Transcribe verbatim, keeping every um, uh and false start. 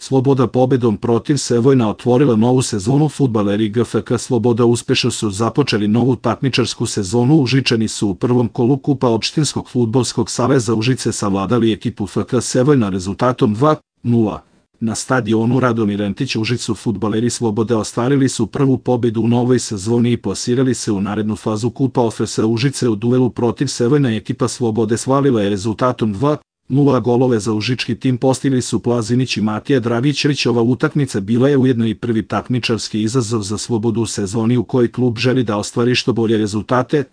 Sloboda pobedom protiv Sevojna otvorila novu sezonu fudbaleri G F K Sloboda uspešno su započeli novu takmičarsku sezonu. Užičani su u prvom kolu Kupa Opštinskog fudbalskog saveza Užice savladali ekipu F K Sevojna rezultatom dva nula. Na stadionu Radomir Entić u Užicu fudbaleri Slobode ostvarili su prvu pobedu u novoj sezoni i plasirali se u narednu fazu Kupa O F S Užice. U duelu protiv Sevojna ekipa Slobode slavila je rezultatom dva nula. Golove za užički tim postigli su Plazinić i Matija Dragićević. Ova utakmica bila je ujedno i prvi takmičarski izazov za Slobodu u sezoni u kojoj klub želi da ostvari što bolje rezultate.